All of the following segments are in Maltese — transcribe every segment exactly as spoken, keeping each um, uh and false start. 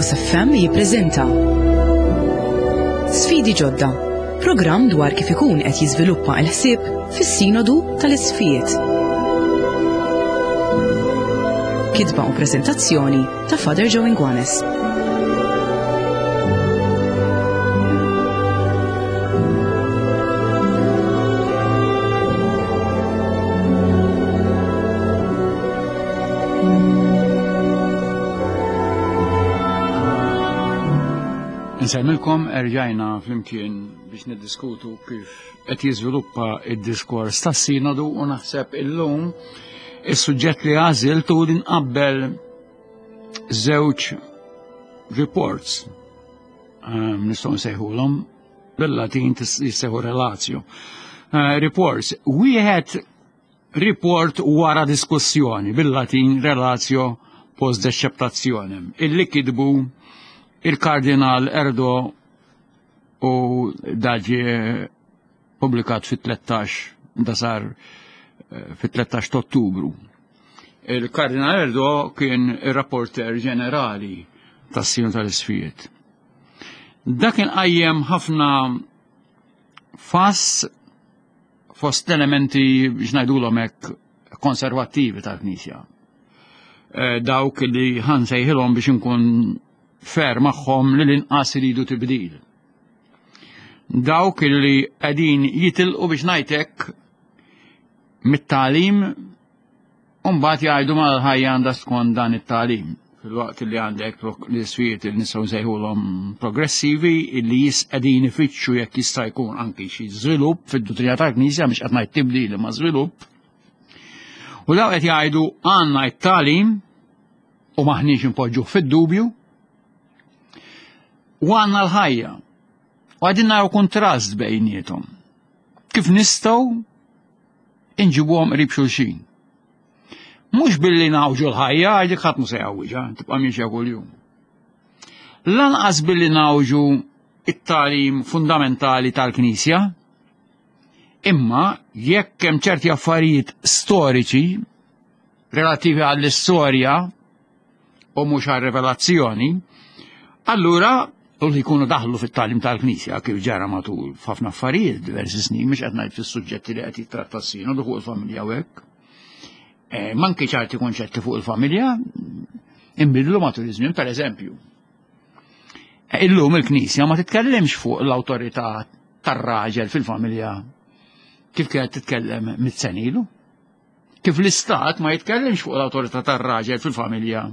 Logos F M jippreżenta Sfidi Ġodda, programm dwar kif ikun qed jiżviluppa l-ħsieb fis-Sinodu tal-Isqfijiet. Kitba u preżentazzjoni ta' Father Joe Inguanes. Nsemmilkom erġajna flimkien biex niddiskutu kif qed jiżviluppa id-diskors tas-sinodu u naħseb illum is-suġġett li għażilt hu li nqabbel żewġ reports, ehm, nistgħu nsejħulhom bil-Latin jissejħu relatio. Eh, reports, wieħed report wara diskussjoni bil-Latin relatio post deceptationem, illi kitbu il-Kardinal Erdo u daġi publikat fit-tlettax, da sar, eh, fit-tlettax ta' Ottubru. Il-Kardinal Erdo kien ir-rapporter ġenerali tas-Sinodu tal-Isqfijiet. Dak kien qajjem ħafna fass fost elementi biex ngħidulhom hekk konservattivi tal-Knisja. Eh, dawk li ħansejħilhom biex inkun fer magħhom li l-inqas iridu tibdil. Dawk li qegħdin jitilqu biex ngħidlek mit-tagħlim u mbagħad jgħidu ma l-ħajja għandha skont dan it-tagħlim. Fil-waqt li għandek l-isfijiet li nistgħu nsejħulhom progressivi li jis qegħdin ifittxu jekk jista' jkun anki xi żvilupp fid-duttrina tal-Knisja, mhux qed ngħid tibdil imma żvilupp. U daw qed jgħidu għandna t-tagħlim u maħniex inpoġġuh fid-dubju, u għandna l-ħajja. U għadin naraw kontrast bejniethom. Kif nistgħu inġibuhom qrib xulxin. Mhux billi nawġu l-ħajja, għax dik ħadd mhu se jgħawwiġha, tibqa' miexja kuljum. Lanqas billi nawġu it-tagħlim fundamentali tal-Knisja, imma jekk hemm ċerti affarijiet storiċi relattivi għall-istorja u mhux għar-rivelazzjoni, allura u li jkunu daħlu fit-tagħlim tal-Knisja kif ġara matul f'ħafna affarijiet diversi snin, mhux qed ngħid fis-suġġetti li qed jittratta s-sinodu fuq il-familja u hekk. Eh, manki ċerti konċetti fuq il-familja inbidlu matul iż-żmien, pereżempju. Eh, illum il-Knisja ma titkellimx fuq l-awtorità tar-raġel fil-familja kif kienet titkellem mitt sena ilu. Kif l-Istat ma jitkellimx fuq l-awtorità tar-raġel fil-familja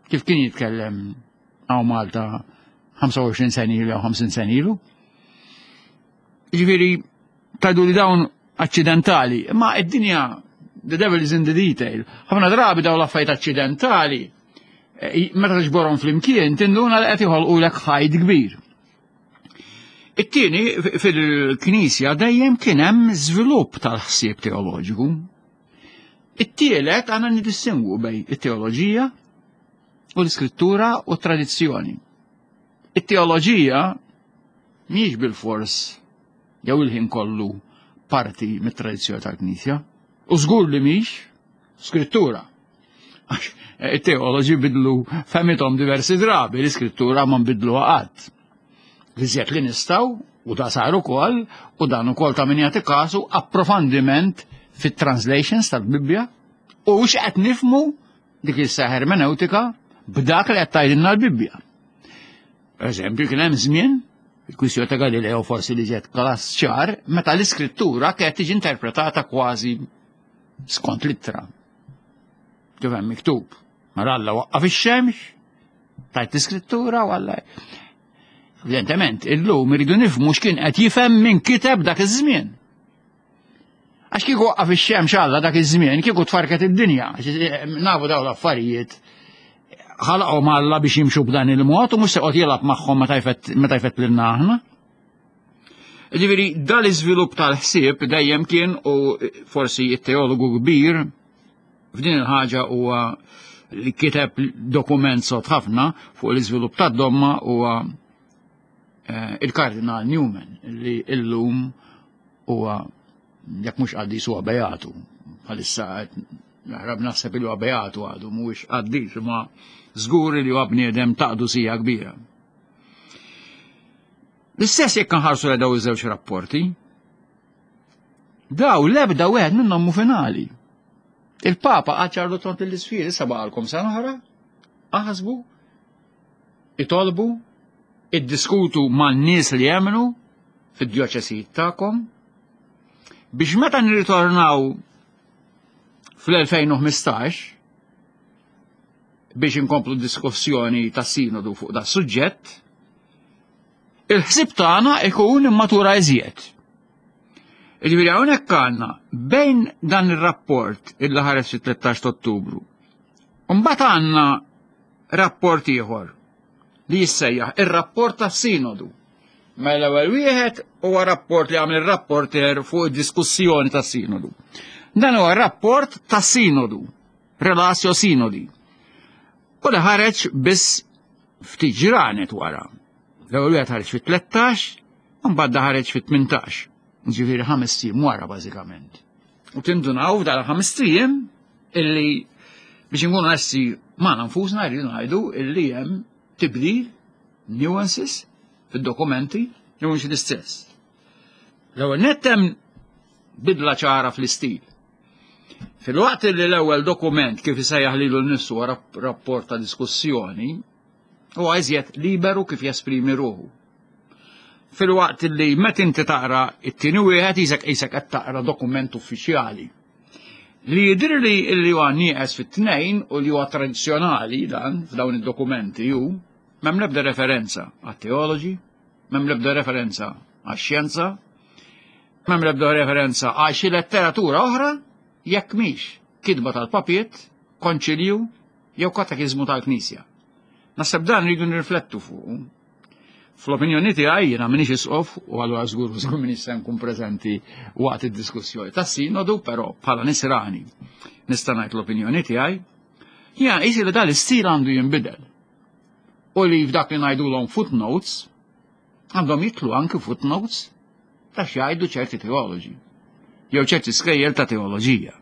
kif kien jitkellem hawn Malta ħamsa u għoxrin sena ilu jew ħamsin sena ilu. Jiġifieri tgħidu li dawn aċċidentali, imma id-dinja, the devil is in the detail. Ħafna drabi dawn l-affarijiet aċċidentali, eh, meta tiġborhom flimkien tinduna li qed joħolqulek ħajd kbir. It-tieni, f-, fil-Knisja dejjem kien hemm żvilupp tal-ħsieb teoloġiku. It-tielet għandna nidistingwu bejn it-teoloġija u l-iskrittura u t-tradizzjoni. It-teoloġija mhijiex bil-fors jew il-ħin kollu parti mit-tradizzjoni tal-Knisja, u żgur li mhix skrittura. Għax it-teoloġi bidlu fehmithom diversi drabi, l-iskrittura ma nbidluha qatt. Iżjed li nistgħu, u da sar ukoll, u dan ukoll ta' min jagħti kasu, approfondiment fit-translations tal-Bibbja, u x'qed nifhmu dik is-seħ hermeneutika b'dak li qed tgħidilna l-Bibbja. Per eżempju, kien hemm żmien, il-kwistjoni ta' Galileo forsi li ġiet klass ċar, meta l-iskrittura kienet tiġi interpretata kważi skont littra. Kif hemm miktub. Mela Alla waqqaf ix-xemx, tajt l-iskrittura u Alla. Evidentement, illum iridu nifhmu x'kien qed jifhem min kiteb dak iż-żmien. Għax kieku waqqaf ix-xemx Alla dak iż-żmien, kieku tfarket id-dinja. Għax nafu dawn l-affarijiet ħalaqhom Alla biex jimxu b'dan il-mod u mhux se joqgħod jilgħab magħhom meta jfett, meta jfett lilna aħna. Ġifieri dal-iżvilupp tal-ħsieb dejjem kien, u forsi t-teologu kbir f'din il-ħaġa huwa li kiteb dokument sod ħafna fuq l-iżvilupp tad-domma huwa, eh, il-Kardinal Newman, li illum huwa jekk mhux qaddis huwa beatu. Bħalissa qed Naħrab naħseb li huwa beatu għadu, mhuwiex qaddis, imma żgur li huwa bniedem ta' qdusija kbira. L-istess jekk nħarsu lejn daw iż-żewġ rapporti, daw l-ebda wieħed minnhom mhu finali. Il-Papa għaċarlu tont l-isfiri, issa baqalkom sena oħra, aħsbu, itolbu, iddiskutu man-nies li jemmnu fid-djoċesijiet tagħkom, biex meta nirritornaw fl-elfejn u ħmistax biex inkomplu diskussjoni ta' sinodu fuq da' suġġett, il-ħsieb tagħna ikun immatura iżjed. Jiġifieri hawnhekk għandna bejn dan ir-rapport illi ħareġ fit-tlettax ta' Ottubru. Mbagħad għandna rapport ieħor li jissejjaħ ir-rapport tas-sinodu. Mela l-ewwel wieħed huwa rapport li għamel ir-rapporter fuq id-diskussjoni tas-sinodu. Dan huwa rapport tas-sinodu, Relatio Synodi. U li ħareġ biss ftit ġranet wara. L-ewwel wieħed ħareġ fit-tlettax, u mbagħad ħareġ fit-tmintax. Ġifieri ħames ijiem wara bażikament. U tindunaw f'dan ħames ijiem illi biex inkunu onesti magħna nfusna rridu ngħidu illi hemm tibdil, nuances fid-dokumenti li mhux l-istess. L-ewwel nett hemm bidla ċara fl-istil. Fil-waqt li l-ewwel dokument kif isejjaħ lilu nnifsu huwa rapport ta' diskussjoni, huwa iżjed liberu kif jesprimi ruħu. Fil-waqt li meta inti taqra it-tieni wieħed isek isek qed taqra dokument uffiċjali. Li jidhirli li huwa nieqes fit-tnejn u li huwa tradizzjonali dan f'dawn id-dokumenti hu m'hemm l-ebda referenza għat-teoloġi, m'hemm l-ebda referenza għax-xjenza, m'hemm l-ebda referenza għal xi letteratura oħra jekk mhix kitba tal-papiet, konċilju jew katekiżmu tal-Knisja. Naħseb dan rridu nirriflettu fuq. Fl-opinjoni tiegħi jiena m'iniex isqof u allura żgur żgur m'iniex se nkun preżenti waqt id-diskussjoni tas-sinodu, però bħala nisrani nista' ngħid l-opinjoni tiegħi. Jiena qisi li dan l-istil għandu jinbidel. U li f'dak li ngħidulhom footnotes għandhom jitlu anke footnotes ta' x'jgħidu ċerti teoloġi jew ċerti skejjel ta' teoloġija.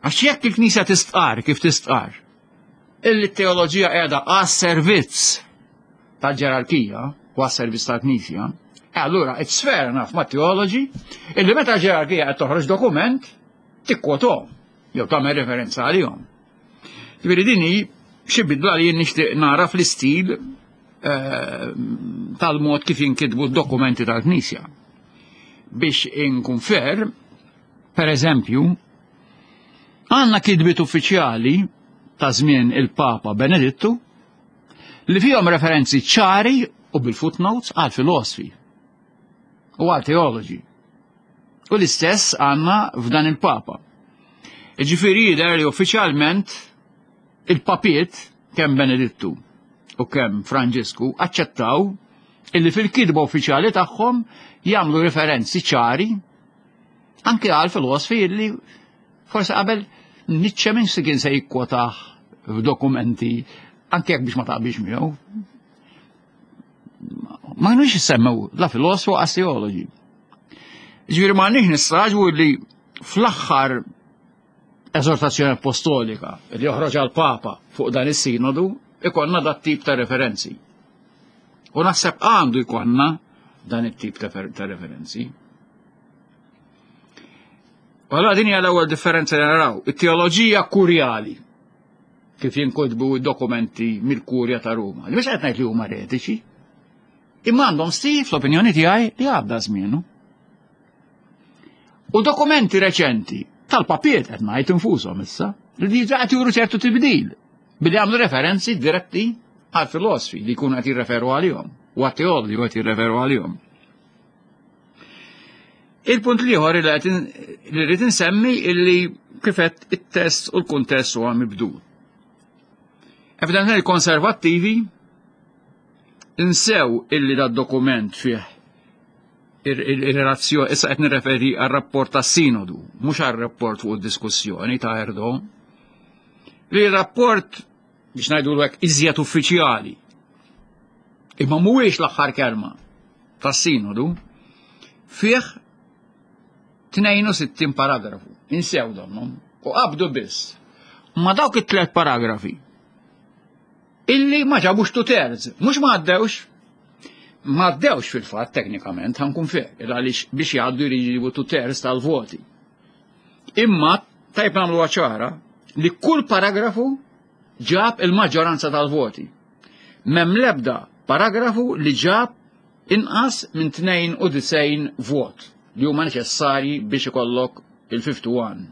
Għax jekk il-Knisja tistqar kif tistqar, illi t-teoloġija qiegħda għas-servizz tal-ġerarkija u għas-servizz tal-Knisja, e allura it's fair enough ma' teoloġi illi meta l-ġerarkija qed toħroġ dokument tikkwothom jew tagħmel referenza għalihom. Ġifieri din hi xi bidla li jien nixtieq nara fl-istil, eh, tal-mod kif jinkitbu d-dokumenti tal-Knisja. Biex inkun fair, per eżempju, għandna kitbiet uffiċjali ta' żmien il-Papa Benedittu li fihom referenzi ċari u bil-footnotes għal filosofi u għal teoloġi. U l-istess għandna f'dan il-Papa. Ġifieri jidher li uffiċjalment il-papiet kemm Benedittu u kemm Franġisku aċċettaw illi fil-kitba uffiċjali tagħhom jagħmlu referenzi ċari anke għal filosofi illi forse qabel Nietzsche minn se kien se jikkwotah f'dokumenti anke jekk biex ma taqbilx miegħu. Ma kinux jissemmew la filosofu għas teoloġi. Ġifieri ma għandniex nistraġu li fl-aħħar eżortazzjoni apostolika li joħroġ għal Papa fuq dan is-sinodu ikonna dat tip ta' referenzi. U naħseb għandu jkollna dan it-tip ta' fer-, ta' referenzi. U allura din hija l-ewwel differenza li naraw, it-teoloġija kurjali kif jinkotbu dokumenti mill-Kurja ta' Ruma. Li mhux qed ngħid li huma eretiċi, imma għandhom stil fl-opinjoni tiegħi li għadda żmienu. U dokumenti reċenti tal-papiet qed ngħid infushom issa li diġà qed juru ċertu tibdil billi għamlu referenzi diretti għal filosofi li jkunu qed jirreferu għalihom u għat teologi li qed jirreferu għalihom. Il-punt l-ieħor li qed in-, li rrid insemmi illi kif qed it-test u l-kuntest huwa mibdul. Evidentment il-konservattivi insew illi da dokument fih il-relazzjoni, issa qed nirreferi għar-rapport tas-sinodu, mhux għar-rapport fuq id-diskussjoni ta' Erdo, li r-rapport biex ngħidu hekk iżjed uffiċjali, imma mhuwiex l-aħħar kelma tas-sinodu, fih tnejn u sittin paragrafu, insew donnhom. U qabdu biss ma dawk it-tlet paragrafi illi ma ġabux two thirds, mhux ma għaddewx, ma għaddewx fil-fatt teknikament, ħa nkun fair, għaliex biex jgħaddu jridu two thirds tal-voti. Imma tajb nagħmlu ċara li kull paragrafu ġab il-maġġoranza tal-voti. M'hemm lebda paragrafu li ġab inqas minn tnejn u disgħin vot li huma neċessarji biex ikollok il-wieħed u ħamsa u.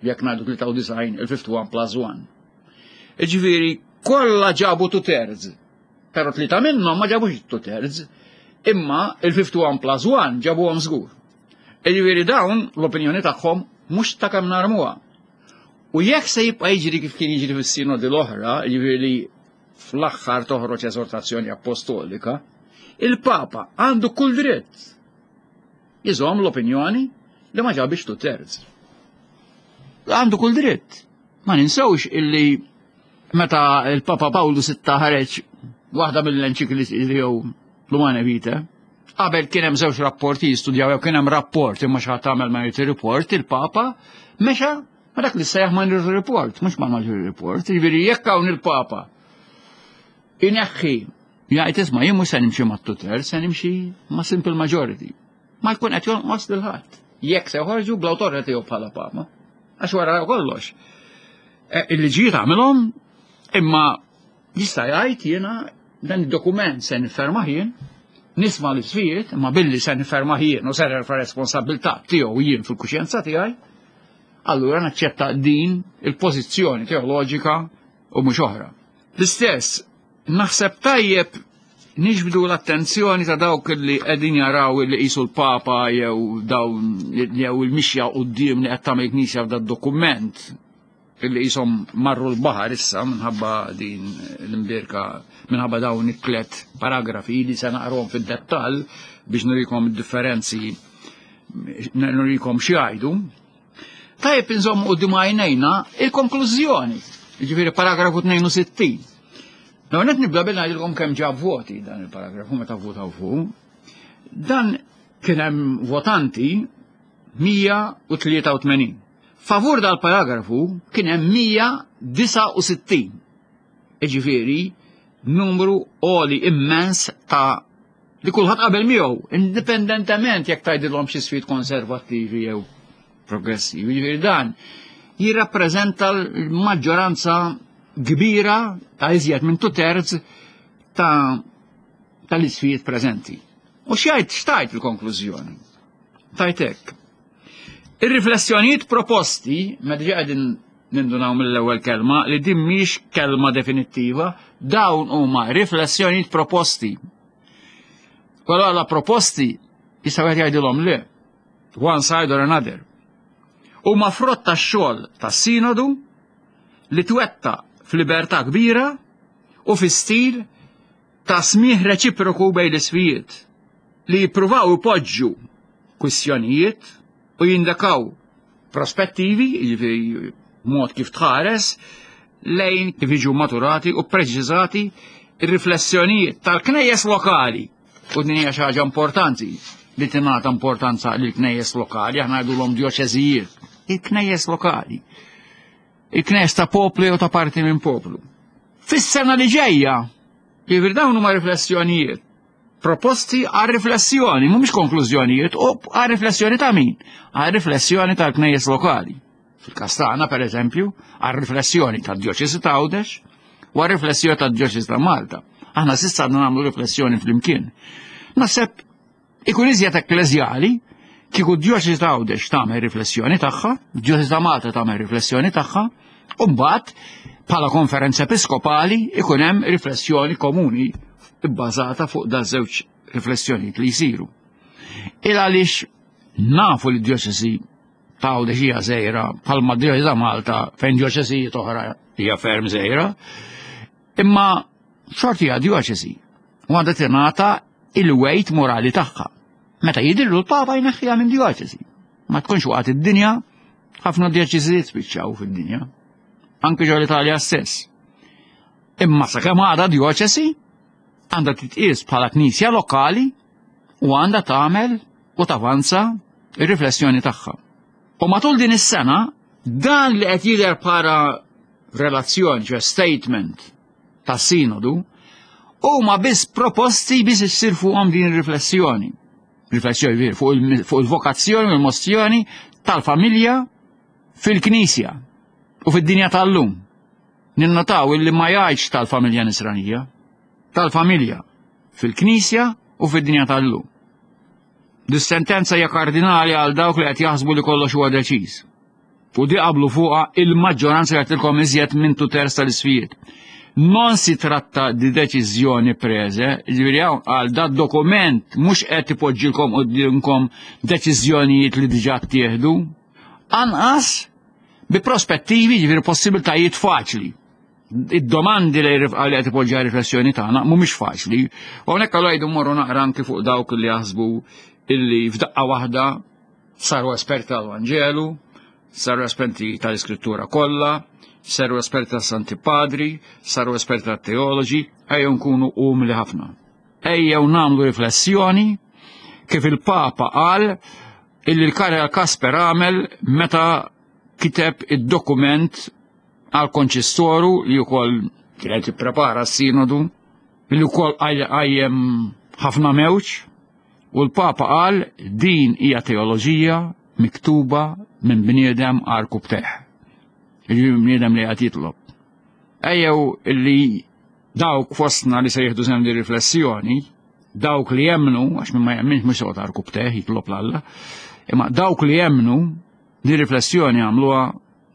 Jekk ngħidu tlieta u disgħin, il-wieħed u ħamsin plus wieħed. Iġifieri kollha ġabu two thirds. Però tlieta minnhom ma ġabux two thirds, imma il-wieħed u ħamsin plus wieħed ġabuhom żgur. Iġifieri dawn l-opinjoni tagħhom mhux ta' kemm narmuha. U jekk se jibqa' jiġri kif kien jiġri fis-sinodi l-oħra, jiġifieri fl-aħħar toħroġ eżortazzjoni apostolika, il-Papa għandu kull dritt jżomm l-opinjoni li ma ġabix two thirds. Għandu kull dritt. Ma ninsewx illi meta il-Papa Pawlu Sitta ħareġ waħda mill-enċikli jew l-Humanae Vitae, qabel kien hemm żewġ rapporti jistudjaw, jew kien hemm rapport imma xi ħadd għamel minority report, il-Papa mexa ma dak li sejjaħ minority report, mhux ma majority report, jiġifieri jekk hawn il-Papa ineħħi jgħid, "Isma', jien mhux se nimxi ma' two thirds, se nimxi ma' simple majority." Ma jkun qed jonqos lil ħadd. Jekk se joħorġu bl-awtorità tiegħu bħala Papa. Għax wara kollox. E, il-liġijiet għamilhom, imma jista' jgħid, "Jiena dan id-dokument se niffermah jien, nisma' l-isfijiet, imma billi se niffermah jien u se nerfa' responsabilità tiegħu jien fil-kuxjenza tiegħi, allura naċċetta din il-pożizzjoni teoloġika u mhux oħra." L-istess, naħseb tajjeb niġbdu l-attenzjoni ta' dawk li qegħdin jaraw li qisu l-Papa jew dawn jew il-mixja quddiem li qed tagħmel Knisja f'da dokument illi qishom marru l-baħar issa minħabba din l-imbirka, minħabba dawn it-tlet paragrafi li se naqrom fid-dettall biex nurikom id-differenzi, nurikom x'jgħidu. Tajjeb inżommu quddiem għajnejna il-konklużjoni, jiġifieri paragrafu tnejn u sittin. L-ewwel nibda billi ngħidilkom kemm ġab voti dan il-paragrafu meta votaw fuq. Dan kien hemm votanti mija u tlieta u tmenin. Favur dal-paragrafu kien hemm mija u disgħa u sittin. Iġifieri numru għoli immens ta' li kulħadd qabel miegħu, indipendentement jekk tgħidilhom xi isfijiet konservattivi jew progressivi. Jiġifieri dan jirrappreżenta l-maġġoranza kbira ta' iżjed minn two thirds ta' tal-isfijiet preżenti. U x'jgħid, x'tgħid il-konklużjoni? Tgħid hekk: "Ir-riflessjonijiet proposti", ma diġà qegħdin nindunaw mill-ewwel kelma li din mhix kelma definittiva, dawn huma riflessjonijiet proposti. Allora la proposti jista' wieħed jgħidilhom le, one side or another. "Huma frott tax-xogħol tas-sinodu li twettaq f'libertà kbira u fi stil ta' smigħ reċiproku bejn l-isfijiet li jippruvaw ipoġġu kwistjonijiet u jindikaw prospettivi, jiġifieri mod kif tħares lejn kif jiġu maturati u preċiżati ir-riflessjonijiet tal-knejjes lokali." U din hija xi ħaġa importanti li tingħata importanza lil knejjes lokali, aħna ngħidulhom djoċeżijiet. Il-knejjes lokali. Il-knejjes ta' poplu jew ta' parti minn poplu. Fis-sena li ġejja, jiġifieri dawn huma riflessjonijiet proposti għal riflessjoni, mhumiex konklużjonijiet, u għal riflessjoni ta' min? Għal riflessjoni tal-knejjes lokali. Fil-każ tagħna, per eżempju, għal riflessjoni tad-djoċesi ta' Għawdex u għal riflessjoni tad-djoċesi ta' Malta. Aħna s'issa għadna nagħmlu riflessjoni flimkien. Naħseb ikun iżjed ekkleżjali kieku d-djoċesi ta' Għawdex tagħmel riflessjoni tagħha, d-djoċesi ta' Malta tagħmel riflessjoni tagħha, u mbagħad bħala konferenza episkopali ikun hemm riflessjoni komuni bbażata fuq da żewġ riflessjonijiet li jsiru. Il għaliex nafu li d-djoċesi ta' Għawdex hija żgħira bħalma d-djoċesi ta' Malta fejn djoċesijiet oħra hija ferm żgħira, imma xorti hija djoċesi u għandha tingħata il-weight morali tagħha. Meta jidhirlu l-Papa jneħħiha minn djoċesi. Ma tkunx waqgħet id-dinja, ħafna djoċesijiet spiċċaw fid-dinja. Anke ġo l-Italja stess. Imma sakemm għadha djoċesi, għandha titqies bħala knisja lokali u għandha tagħmel u tavanza ir-riflessjoni tagħha. U matul din is-sena Dan li qed jidher bħala relazzjoni, ċe statement ta' sinodu, huma biss proposti biex issir fuqhom din ir-riflessjoni. Riflessjoni fuq il-vokazzjoni u l-mozzjoni tal-familja fil-Knisja u fid-dinja tal-lum. Ninnotaw illi ma jgħidx tal-familja nisranija, tal-familja fil-Knisja u fid-dinja tal-lum. Dis-sentenza hija kardinali għal dawk li qed jaħsbu li kollox huwa deċiż. U di qablu fuqha il-maġġoranza jagħtilkom iżjed minn tu terz tal-isfijiet. Non si tratta di deċiżjoni prese, ġifieri hawn għal dat dokument mhux qed ipoġġilkom qudiemkom deċiżjonijiet li diġà ttieħdu, anqas bi prospettivi, ġifieri possibiltajiet faċli. Id-domandi li qed ipoġġi riflessjoni tagħna mhumiex faċli. U hawnhekk allura jgħidu mmorru naqra anki fuq dawk li jaħsbu illi f'daqqa waħda saru esperti tal-Vanġelu, saru esperti tal-Iskrittura kollha, saru esperti tas-Santi Padri, saru esperti tat-teoloġi, ejjew nkunu umli ħafna. Ejjew nagħmlu riflessjoni kif il-Papa qal illi l-Kardinal Kasper għamel meta kiteb id-dokument għal konċistoru li wkoll kienet ipprepara s-sinodu, li wkoll qajjem ħafna mewġ, u l-Papa qal din hija teoloġija miktuba minn bniedem għarkupptejh. Jiġifieri bniedem li qed jitlob. Ejjew illi dawk fostna li se jieħdu sehem di riflessjoni, dawk li jemmnu, għax min ma jemminx mhux joqgħod għarkupptejh jitlob 'l Alla, imma dawk li jemmnu di riflessjoni għamluha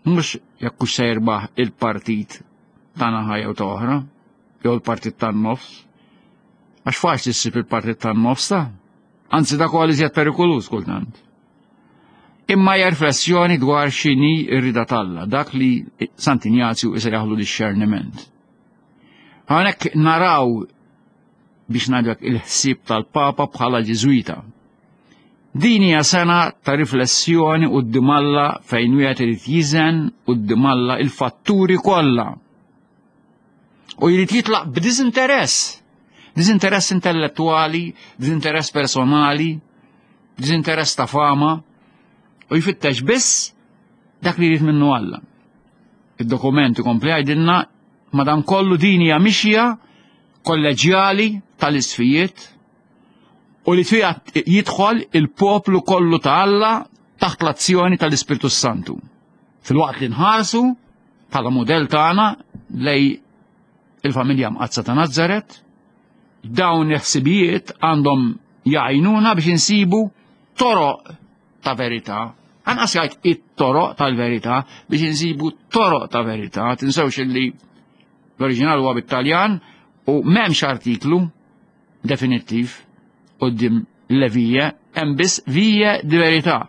mhux jekk hux se jirbaħ il-partit ta' naħa jew ta' oħra, jew il-partit tan-nofs. Għax faċli ssib il-partit tan-nofs ta' anzi dak huwa l-iżjed perikoluż kultant. Imma hija riflessjoni dwar x'inhi r-rida t'Alla, dak li Sant'Injazju isejjaħlu discerniment. Hawnhekk naraw biex ngħidlek il-ħsieb tal-Papa bħala Ġiżwita. Din hija sena ta' riflessjoni quddiem Alla fejn wieħed irid jiżen quddiem Alla il-fatturi kollha. U jrid jitlaq b'diżinteress. Diżinteress intellettwali, diżinteress personali, diżinteress ta' fama, u jfittex biss dak li jrid minnu Alla. Id-dokument ikompli jgħidilna madankollu din hija mixja kolleġjali tal-isfijiet u li fiha jidħol il-poplu kollu ta' Alla taħt l-azzjoni tal-Ispirtu Santu. Filwaqt li nħarsu bħala mudell tagħna lej il-familja mqaddsa ta' Nazzaret, dawn il-ħsibijiet għandhom jgħinuna biex insibu toroq ta' verità. Anqas jgħid it-toroq tal-verità biex insibu toroq ta' verità. Tinsewx illi l-oriġinal huwa bit-Taljan u m'hemmx artiklu definittiv quddiem le vie, hemm biss vie di verità.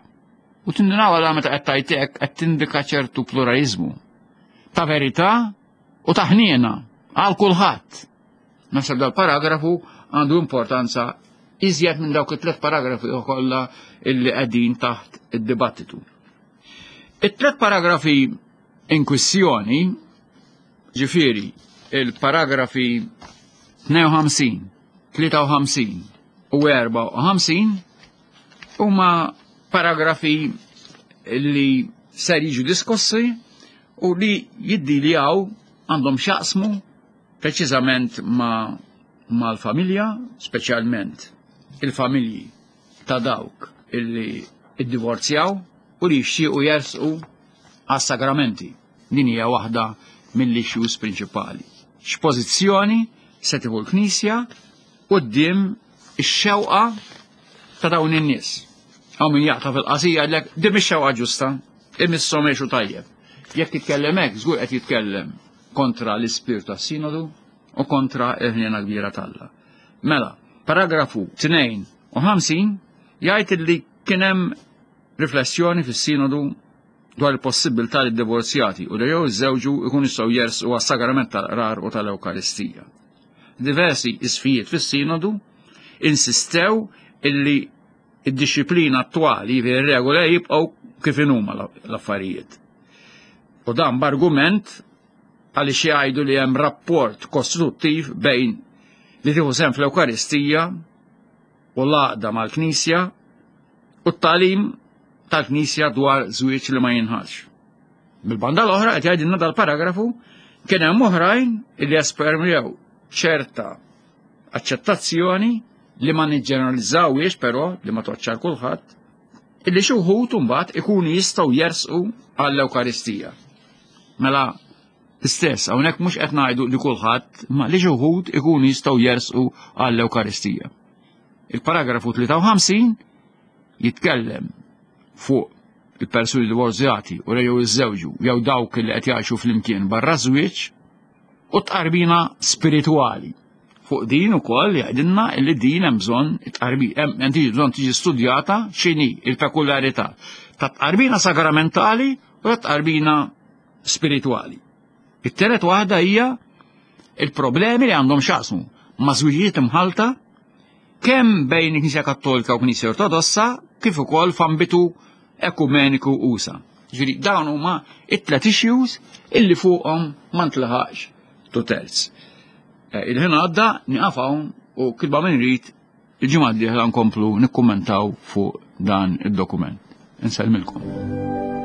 U tindunaw għala meta qed tgħid qed tindika ċertu pluralizmu ta' verità u ta' ħniena għal kulħadd. Naħseb dal-paragrafu għandu importanza iżjed minn dawk it-tlet paragrafi kollha illi qegħdin taħt id-dibattitu. It-tlet paragrafi in kwistjoni, ġifieri il-paragrafi tnejn u ħamsin, tlieta u ħamsin u erbgħa u ħamsin huma paragrafi li ser jiġu diskussi u li jiddiljaw għandhom x'jaqsmu preċiżament ma' mal-familja, speċjalment il-familji ta' dawk illi iddivorzjaw u li jixtiequ jersqu għas-sagramenti. Din hija waħda mill-issues prinċipali. X'pożizzjoni se tieħu l-Knisja quddiem ix-xewqa ta' dawn in-nies. Hawn min jaqta' fil-qasija jgħidlek din mhix xewqa ġusta, imisshom għexu tajjeb. Jekk jitkellem hekk, żgur qed jitkellem kontra l-ispirtu tas-sinodu u kontra l-ħniena kbira t'Alla. Mela, paragrafu tnejn u ħamsin jgħid li kien hemm riflessjoni fis-sinodu dwar il-possibilità li d-divorzjati u li jew iżżewġu jkunu jistgħu jersqu għas-sagrament tal-qrar u tal-Ewkaristija. Diversi isfijiet fis-sinodu insistew illi id-disciplina attwali, jiġifieri r-regola, jibqgħu kif inhuma l-affarijiet. U dan b'argument għaliex jgħidu li hemm rapport kostruttiv bejn li tieħu sehem fl-Ewkaristija u l-għaqda mal-Knisja u t-tagħlim tal-Knisja dwar żwieġ li ma jinħalx. Bil-banda l-oħra qed jgħidilna dal-paragrafu kien hemm oħrajn illi espermew ċerta aċċettazzjoni li ma niġġeneralizzawiex però li ma toċċar kulħadd, illi xi wħud imbagħad ikunu jistgħu jersqu għall-Ewkaristija. Mela istess, hawnhekk mhux qed ngħidu li kulħadd, ma li xi wħud ikunu jistgħu jersqu għall-Ewkaristija. Il-paragrafu tlieta u ħamsin jitkellem fuq il-persuni divorzjati u jew iżżewġu jew dawk li qed jgħixu flimkien barra żwieġ u tqarbina spiritwali. Fuq din ukoll jgħidilna li din hemm bżonn it-tqarbi, hemm bżonn tiġi studjata x'inhi il-pekularità ta' tqarbina sagramentali u ta' tqarbina spiritwali. It-telet waħda hija il-problemi li għandhom x'jaqsmu ma' żwiġijiet imħalta kemm bejn il-Knisja Kattolika u Knisja Ortodossa kif ukoll f'ambitu ekumeniku usa. Ġifieri dawn huma it-tlet issues illi fuqhom ma ntlaħaqx two terz. Eh, il-ħin għadda, nieqaf hawn u kilba minn rid il-ġimgħa d-dieħla nkomplu nikkummentaw fuq dan id-dokument. Insellmilkom.